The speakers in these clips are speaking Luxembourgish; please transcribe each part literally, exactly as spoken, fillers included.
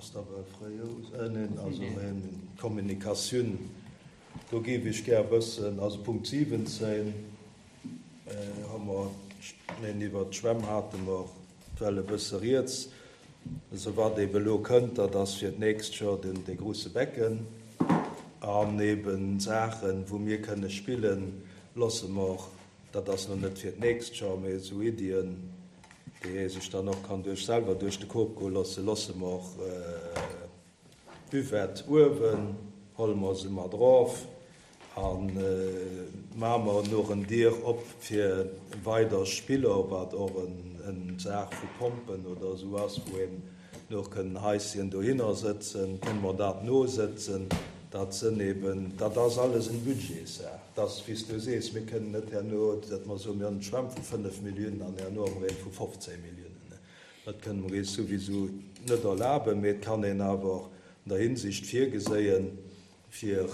Ass da well fréi, neen, also d'Kommunikatioun, do géif ech gär wëssen, also Punkt siwwenzéng hu mer, neen, iwwert d'Schwämm hate mer well e bësse rieds, also wat eebe elo kënnt, dat ass fir d'nächst Joer den, dee grouse Becken an eeben Saachen, wou mir kënne spillen, loosse mer, dat ass elo net fir d'nächst Joer, mee esou Iddien, déi ee sech dann och kann duerch selwer duerch de Kop goe loossen, loosse mer och d'Buvette uewen, holle mer se mat erof a maache mer noch en Dier op fir weider Spiller, wat och en Saach vu Pompen oder esou ass, wou een noch kënnen Haischen dohinner sëtzen, kënne mer dat nosëtzen. Dat sënn eben, dat ass alles en Budgetssaach. Dat ass, wéi s du sees, mir kënnen net herno, datt mer soen, mir hunn d'Schwämm vu fënnef Milliounen an herno hu mer een vu fofzéng Milliounen. Dat kënne mer eis souwisou net erlaben, mee et kann een awer an der Hinsicht virgeséien, fir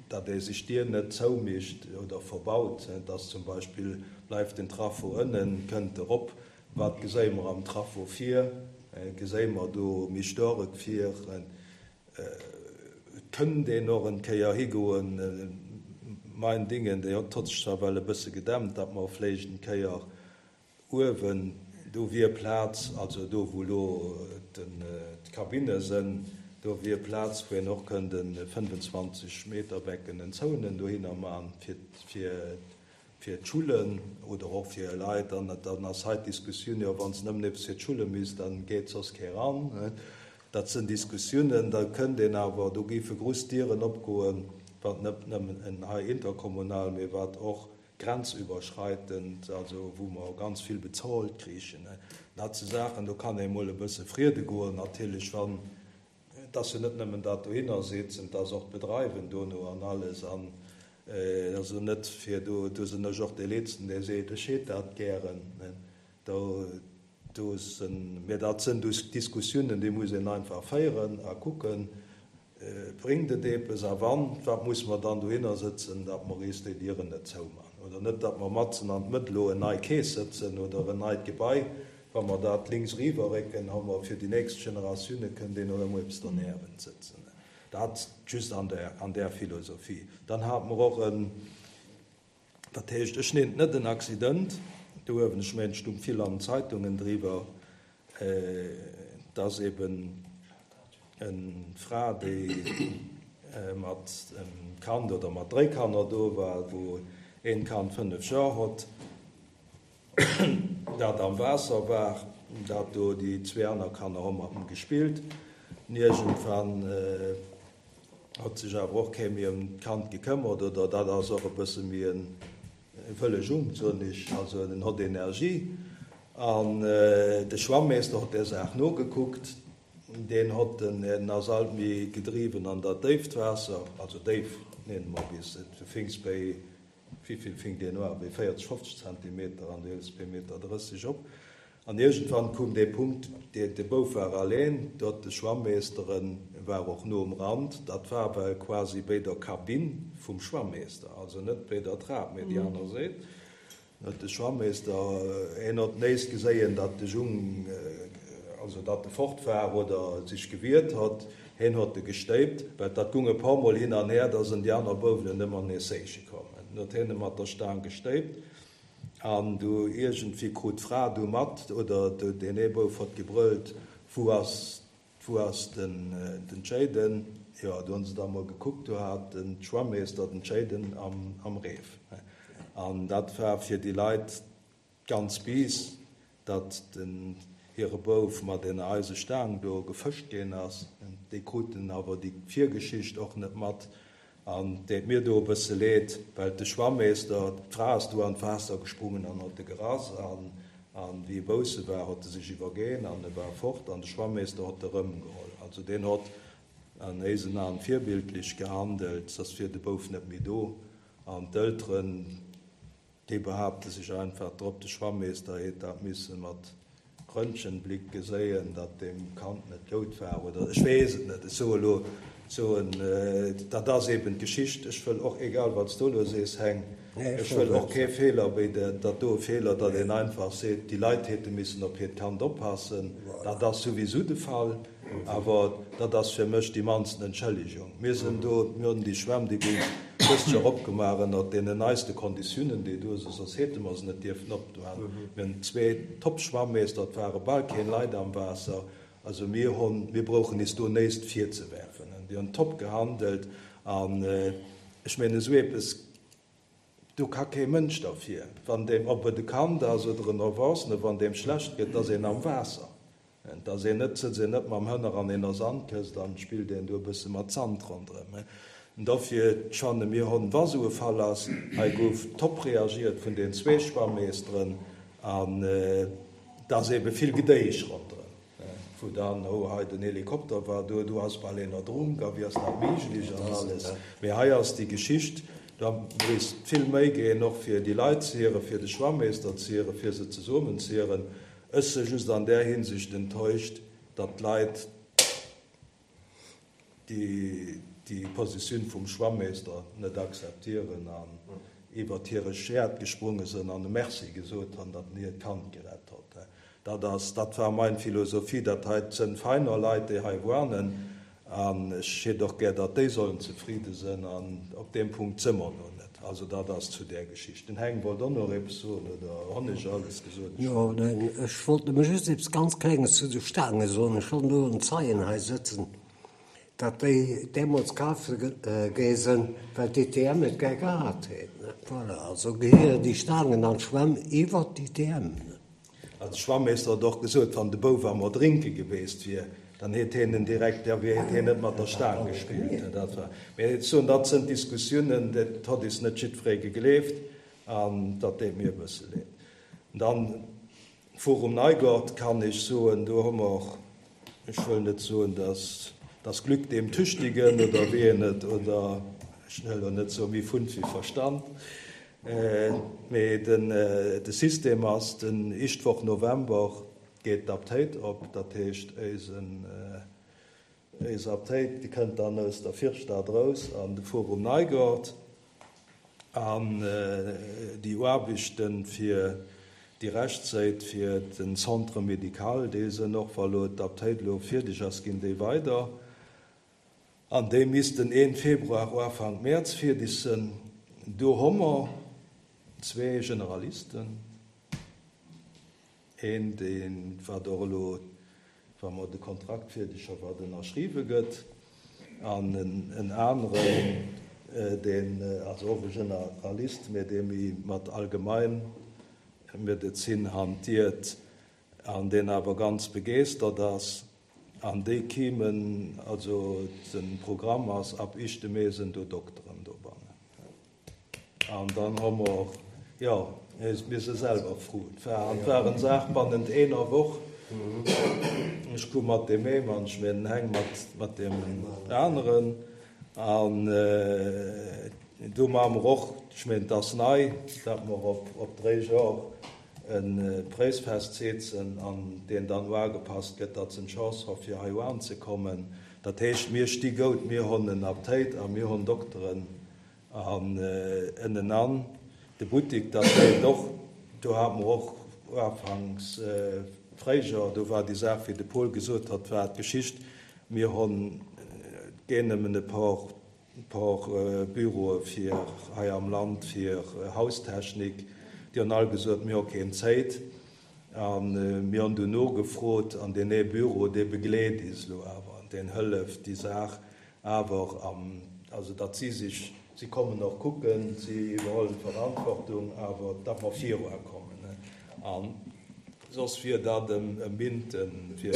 datt ee sech d'Dier net zoumécht oder verbaut, dass zum Beispill, bleift den Trafo ënnen, kënnt erop, wat geséie mer am Trafo vir, geséie mer do méi Storek vir? Et kënnt een och en Kéier higoen, mein Dingen, déi hott sech zwar well e bësse gedämmt, datt mer vléicht en Kéier uewen, do wier Plaz, also do wou elo d'Kabinne sënn, do wier Plaz, wou een och kënnt e fënnfenzwanzeg Meter Becken en zouenen dohinner man fir fir d'Schullen oder och fir Leit. An dann ass hei d'Diskussioun, jo wann se nëmmen eppes fir d'Schulle misst, dann geet soss kee ran. Dat sënn Diskussiounen, da kënnt een awer, do géife grouss Dieren opgoen, wat net nëmmen hei interkommunal, mee wat och grenzüberschreitend, also wou mer ganz vill bezolt kriichen. Dat si Saachen, do kann ee mol e bësse friede goen, natierlech, wann, et ass jo net nëmmen dat dohinner sitzen, et ass och d'Bedreiwen dono an alles. An also net fir do, do sinn ech och dee Letzten, dee seet, ech hätt dat gären. Do, Do sinn, mä dat sinn Diskussiounen, déi muss een einfach féieren a kucken, Bréngt et eppes a wann, wat muss mer dann dohinner sëtzen, datt mer eis déi Dieren net zouman oder net, datt mer matzen an d'Mëtt elo en nei Keess sëtzen oder en neit Gebai. Wa mer dat links eriwwerrécken, hu mer fir déi nächst Generatioune kënnt een och emol eppes derniewent sëtzen. Dat just an där, an där Philosophie. Dann hate mer och en, dat heescht, ech nennen et net en Accident, do uewen, ech mengen, et stung vill an den Zeitungen driwwer, dass eben eng Fra, déi mat engem Kand oder mat dréi Kanner do war, wou een Kand fënnef Joer hott, dat am Waasser war, dat do déi zwee aner Kanner hu mat em gespillt. An iergendwann hott sech awer och kee méi ëm d'Kand gekëmmert, oder dat ass och e bësse méi en wëlle Jung, soen ech, also en hott Energie. An de Schwammeester hott där Saach nogekuckt, deen hott en, en ass alt méi gedriwwen an dat déift Waasser, also déif, nenne mer bis, du finks béi, wivill finkt een uan, béi véierzeg, fofzeg Zentimeter an du hëls béi Meter drësseg op. An iergendwann koum dee Punkt, dee, de Bouf war alleen, do hott de Schwammeester en, war och no um Rand, dat war well quasi béi der Kabinn vum Schwammeester, also net béi der Trap, mee déi aner Séit, huet de Schwammeester, hien hott néist geséien, datt de Jung, also datt e fort war oder sech gewiert hott, hien hott e gestéipt, well dat gung e paar Mol hin an her, da sënn déi aner Bouwelen ëmmer nees séiche komm. En huet hien e mat der Staang gestéipt. An du iergendwéi krut d'Fra du mat, oder deen ee Bouf hott gebrëllt, Wou ass, wou ass den, den Jayden? Jo, du hunn se da mol gekuckt, do hat den Schwammeester den Jayden am, am Reef. An dat war fir déi Leit ganz bis, datt den hire Bouf mat ener Eisestaang do gefëscht ginn ass. Déi kruten awer déi Virgeschicht och net mat. An deet mir do e bësse leed, well de Schwammeester, d'Fra ass do an d'Waasser gesprungen an hott e gerass, an an wéi e bousse war, hott e sech iwwergeen an e war fort, an de Schwammeester hott e rëmgeholl. Also deen hott an éisen Aen virbildlech gehandelt, soss wier de Bouf net méi do. An d'Elteren, déi behaapte sech einfach drop, de Schwammeester hätt dat misse mat Röntgenblick geséien, datt deem Kand net goud war oder ech weess et net. Ech soe lo, soen, dat ass eben d'Geschicht. Ech wëll och, egal wat s du elo sees, Heng, ech wëll och kee Feeler wéi dat do e Feeler, datt een einfach seet, déi Leit hätte missen op hiert Kand oppassen. Dat ass souwisou de Fall, awer dat ass fir mech déi mannsten Entschëllegung. Mir sinn do, mir hunn déi Schwämm, déi gouf dëst Joer opgemaach ënnert deenen neiste Konditiounen, déi do sinn, soss hätte mer se net dierfen opmachen. Mir hunn zwee Top-Schwammeester, et ware bal keen Leit am Waasser. Also mir hunn, mir brauchen is do näischt virzewerfen. Déi hunn top gehandelt an ech mengen esou eppes, do ka kee Mënsch derfir, wann deem, ob et e Kand ass oder en Erwachsene, wann deem schlecht gëtt, da ass een am Waasser. Et ass een net, sëtzt een net mam Hënner an ener Sandkëscht an spillt een do e bësse mat Sand ronderëm. An dofir fanne mir hunn, wa sou e Fall ass, hei gouf top reagiert vun den zwee Schwammeeschteren an et ass ebe vill Gedéisch ronderëm, wou dann, oh hei den Helikopter war do, do ass bal een erdrunk a wéi ass dat méiglech an alles. Mee hei ass déi Geschicht, da misst vill méi ginn, och fir déi Leit ze hieren, fir de Schwammeester ze hieren, fir se zesummen ze hieren. Ech si just an där Hinsicht enttäuscht, datt d'Leit déi déi Positioun vum Schwammeester net akzeptieren an iwwert hire Schäert gesprunge sënn an e Merci gesot han, datt en hiert Kand gerett hott. Dat ass, dat war mein Philosophie, dat hei sënn feiner Leit, déi hei woanen, an ech hätt och gär, datt déi sollen zefridde sënn, an op deem Punkt së mer no net. Also dat ass zu där Geschicht. Den Heng wollt och nach eppes soen, oder honn ech alles gesot? Jo, neen, ech wollt nëmme just eppes ganz Klenges zu de Staange soen. Ech hunn do en Zeien hei sëtzen, datt déi deemools kaf gi sinn, well d'ITM et gär gehat huet. Voilà, also gehéieren déi Staangen an d'Schwämm iwwert d'ITM. Also de Schwammeester huet och gesot, wann de Bouf am Erdrénke geweest wier, dann hätt hien en direkt, da hätt hien net mat der Staang gespillt. Dat war, mee ech soen, dat sënn Diskussiounen, dat hott is net jiddweree gegleeft an dat deet mir e bësse leed. Dann Forum Neigort kann ech soen, do hu mer, ech wëll net soen, dass das Glück dem Tüchtigen oder wéi een et, oder ech wëll elo net soen, méi Fund wéi Verstand, mee den de System ass, den éischt Woch November geet d'Aptéit op, dat heescht éisen éis Aptéit, déi kënnt dann aus der Virstad erous an de Forum Neigort an déi Aarbechten fir déi Rechtséit fir den Centre médical, déi sënn och, wa lo d'Aptéit elo fierdeg ass, ginn déi weider an déi missten een Februar, Ufank Mäerz fierdeg sënn. Do hu mer zwee Generalisten, een, dee wat och elo, wa mer de Kontrakt fierdeg hu, wat ënnerschriwwe gëtt, an en aneren, deen, also och e Generalist, mä dee méi mat Allgemeinmedezin hantiert an deen awer ganz begeeschtert ass. An déi kéimen, also de Programm ass, ab éischte Mee sinn do Dokteren dobannen. An dann hu mer, jo, mir si selwer fru. Et war, an et war eng Saach bannent eener Woch. Ech koum mat deem ee Mann, ech mengen Heng mat, mat deem aneren. An do maache mer och, ech mengen, et ass nei, datt mer op, op dréi Jor e Präis festsetzen an deen dann uagepasst gëtt, datt se eng Chance hu fir hei uanzekommen. Dat heescht, mir sti goud, mir hunn en Aptéit a mir hunn Dokteren an ënnenan de Buttik, dat leeft och. Do hate mer och uafanks fréijer, do war déi Saach, wéi de Paul gesot hat, war d'Geschicht, mir hunn gär nëmmen e por por Büroe fir hei am Land fir Haustechnik, déi hunn all gesot, mir hu keen Zéit. A mir hunn dunn nogefrot an deen ee Büro, dee begleet is elo awer an deen hëlleft déi Saach awer am, also datt si sech, si kommen och kucken, si iwwerhuelen d'Verantwortung, awer datt mer viruakommen. An soss wier dat e Minten fir,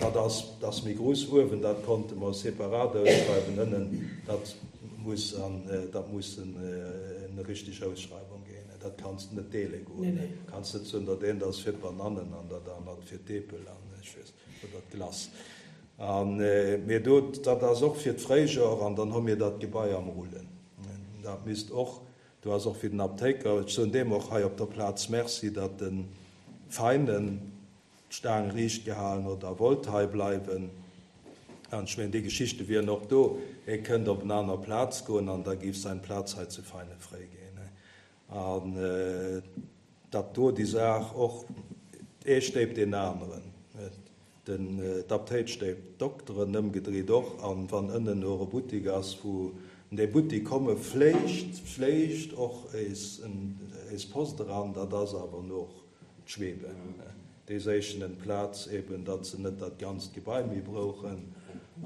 dat ass, dat ass méi grouss uewen, dat konnte mer separat ausschreiwen, ënnen, dat muss an, dat muss en richteg Ausschreiwung ginn. Dat kanns de net deele goen. Kanns net soen, dat eent ass fir d'Banannen an dat anert fir d'Eepel an ech weess, oder d'Glace. An, mee do, dat ass och fir d'Fréijor an dann hu mir dat Gebai am Rullen. Dat misst och, do ass och fir den Aptéiker, ech soen deem och hei op der Plaz Merci, datt de Feinen d'Staang riicht gehalen huet a wollt hei bleiwen. An ech mengen, déi Geschichte wieren och do, hie kënnt op en aner Plaz goen an da géif säin Plaz hei zu Veinen fréi ginn. An datt do déi Saach och, ee stéipt deen aneren, den d'Aptéit stéipt d'Dokteren, ëmgedreet och, an wann ënnen och e Buttik ass, wou un dee Buttik komme vléicht, vléicht och éis, éis Post eran, dat ass awer noch d'Schwebe. Déi séichen en Plaz eben, datt se net dat ganzt Gebai méi brouchen,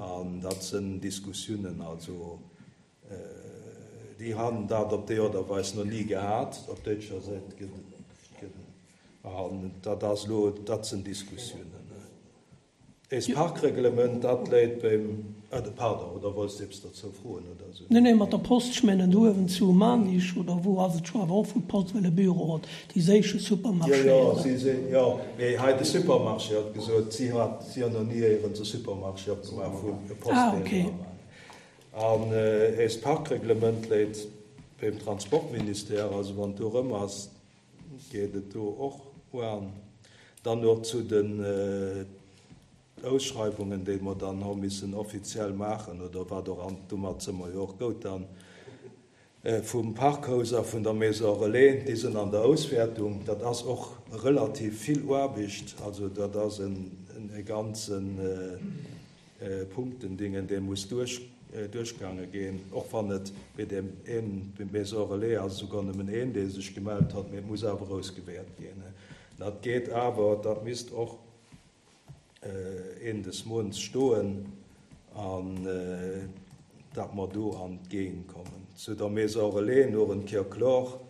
an dat sinn Diskussiounen, also déi han dat op déi Art a Weis no ni gehat, op däitscher Säit gëtt, an dat ass elo, dat sinn Diskussiounen. Eist Parkreglement, dat léit beim, pardon, oder wollts de eppes derzou froen oder esou? Nee, nee, mat der Post, ech mengen do uewen zu Maarnich oder wou ass et scho, awer och wou d'Post well e Büro huet, déi séiche Supermarché. Jo, jo, si si, jo, mee hei de Supermarché huet gesot, si hat, si hunn nach ni éierens e Supermarché opgemaach, wou e Postdeel dra war. An eist Parkreglement léit beim Transportministère, also wann do erëm ass, geet et do och uan. Dann och zu den Ausschreiwungen, déi mer dann hu missen offiziell maachen, oder wat och, an domat si mer jo och goud dann, vum Parkhaus a vun der Maison Relais, déi sinn an der Auswäertung. Dat ass och relativ vill Aarbecht, also dat ass e ganze Punktendingen, dee muss duerch duerchgaange ginn, och wann et bei deem een, beim Maison Relais ass esouguer nëmmen een, dee sech gemellt hat, mee et muss awer ausgewäert ginn. Dat geet awer, dat misst och Enn des Mounts stoen an datt mer do an d'Géigend kommen. Zu der Maison Relais no en Kéier kloer,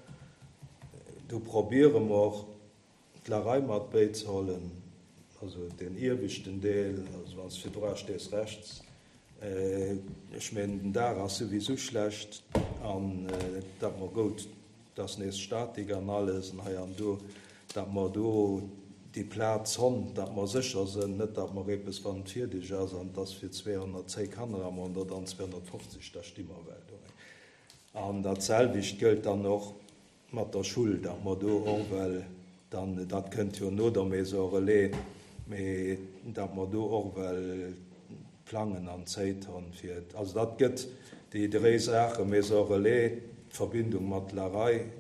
do probiere mer d'Larei mat béizehollen, also deen ieweschten Deel, also wann s de virdra stees rechts. Ech mengen den Daach ass souwisou schlecht an datt mer goud, et ass nees Statik an alles an hei an do, datt mer do déi Plaz honn, datt mer sécher sënn, net datt mer eppes, wann et fierdeg ass an et ass fir zweehonnertzéi Kanner a mer hunn der dann zweehonnertfofzeg, da sti mer well do. An dat selwecht gëllt dann och mat der Schull, datt mer do och well dann, dat kënnt jo no der Maison relais, mee datt mer do och well plangen an Zéit honn fir, also dat gëtt déi dréi Saachen, Maison relais, d'Verbindung mat Larei,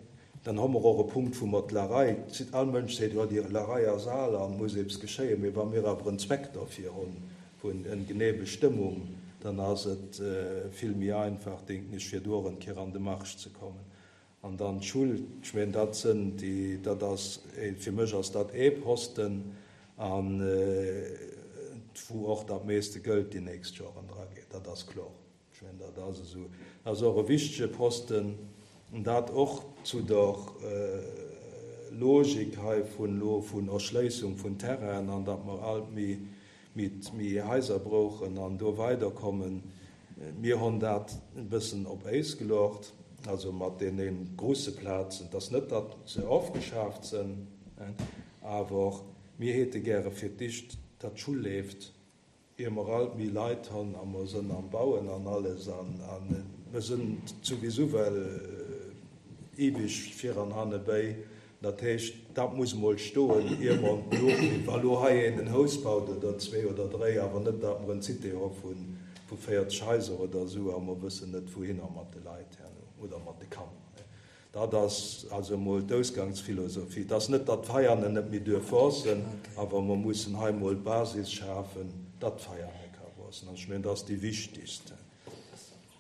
Dann hu mer och e Punkt, wou mer d'Larei, all Mënsch seet, jo, déi Larei ass al an muss eppes geschéien, mee wa mir awer en Zweck derfir hunn, vun en genee Bestëmmung, dann ass et vill méi einfach, denken ech, fir do och en Kéier an de Marsch ze kommen. An dann d'Schull, ech mengen, dat sënn déi, dat ass, fir mech ass dat ee Posten, an wou och dat meeste Gëld déi nächst Joren drageet, dat ass kloer. Ech mengen, dat ass esou. Dat ass och e wichtege Posten, dat och zu der Logik hei vun elo vun Erschléissung vun Terrainen an datt mer alt méi, méi, méi Haiser brauchen an do weiderkommen. Mir hunn dat e bëssen op Äis geluecht, also mat deene grouse Plazen. Et ass net, datt se ofgeschaaft sinn, awer mir hätte gäre fir d'éischt, datt d'Schull leeft, ier mer alt méi Leit hunn a mer sënn am Bauen an alles an mer sënn souwisou well eweg vir an hanne béi. Dat heescht, dat muss emol stoen, ier mer elo, wa lo hei een en Haus baut oder zwee oder dréi, awer net, datt mer en Cité hu vu véierzeg Haiser oder esou a mer wëssen net wouhinner mat de Leit herno oder mat de Kanner. Dat ass also emol d'Ausgangsphilosophie. Et ass net, datt d'Veianen net méi duerf wuessen, awer mer mussen hei emol d'Basis schafen, datt d'Veiane ka wuessen. An ech mengen, dat ass déi wichtigst.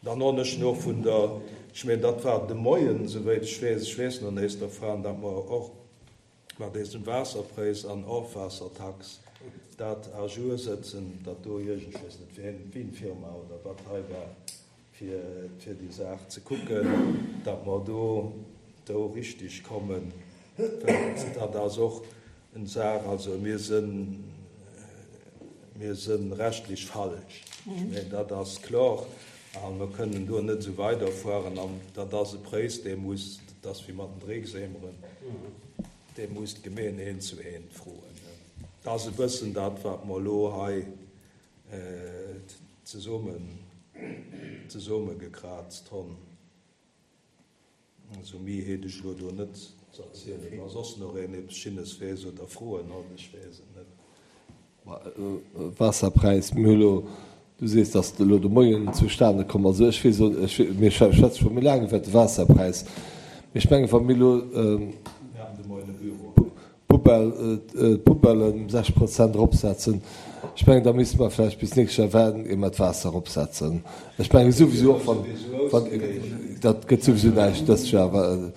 Dann hunn ech no vun der, ech mengen, dat war de Moien, souwéit ech weess, ech weess no nees dervun, datt mer och mat désem Waasserpräis an Ofwaassertax dat à jour sëtzen, datt do iergend, ech weess net wien, wien Firma oder wat hei war, fir, fir déi Saach ze kucken, datt mer do, do richtig kommen. Well dat ass och eng Saach, also mir sinn, mir sinn rechtlech falsch. Ech mengen, dat ass kloer a mer kënnen do net esou weiderfueren. An dat ass e Präis, dee muss, dat ass wéi mat den Dreckseemeren, dee muss d'Gemeen eent zu eent froen. Dat ass e bëssen dat, wat mer elo hei zesummen zesummegekraazt honn. Also mi heet ech elo do net ze erzielen. Wa soss nach een eppes Schinnes weess oder Froen huet, ech weess et net. Waasserpräis, mir hu lo, du sees, datt elo de Moien zustane komm ass. Also ech weess, ech, mir schwätze scho méi laang iwwert de Waasserpräis, mee ech mengen, wa mir elo d'Poubelle, d'Poubellen ëm sechs Prozent eropsetzen, ech mengen, da misste mer vläicht bis d'nächst Joer waarden, ier mer d'Waasser eropsetzen. Ech menge souwisou och, wann, wann, dat gëtt souwisou näischt dëst Joer, well,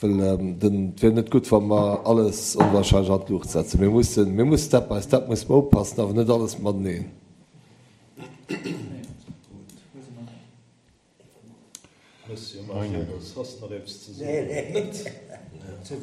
Well den, et wier net gutt, wa mer alles onwahrscheinlech an d'Luucht setzen. Mir mussen, mir mussen step by step musse mer oppassen, awer net alles mateneen. Monsieur Majerus, hast nach eppes ze soen? Net?